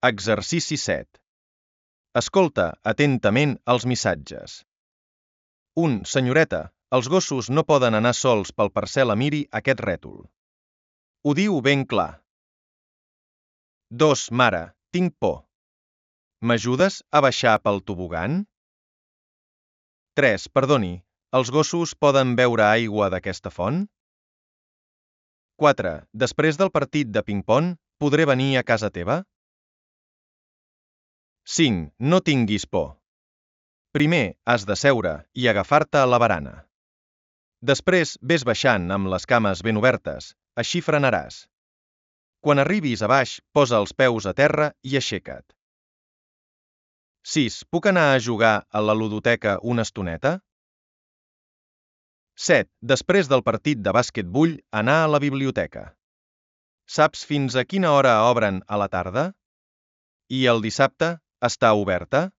Exercici 7. Escolta atentament els missatges. 1. Senyoreta, els gossos no poden anar sols pel parcel·la, miri aquest rètol. Ho diu ben clar. 2. Mare, tinc por. M'ajudes a baixar pel tobogan? 3. Perdoni, els gossos poden beure aigua d'aquesta font? 4. Després del partit de ping-pong, podré venir a casa teva? 5. No tinguis por. Primer has de seure i agafar-te a la barana. Després ves baixant amb les cames ben obertes, així frenaràs. Quan arribis a baix, posa els peus a terra i aixeca't. 6. Puc anar a jugar a la ludoteca una estoneta? 7. Després del partit de bàsquet vull anar a la biblioteca. Saps fins a quina hora obren a la tarda? I el dissabte està oberta?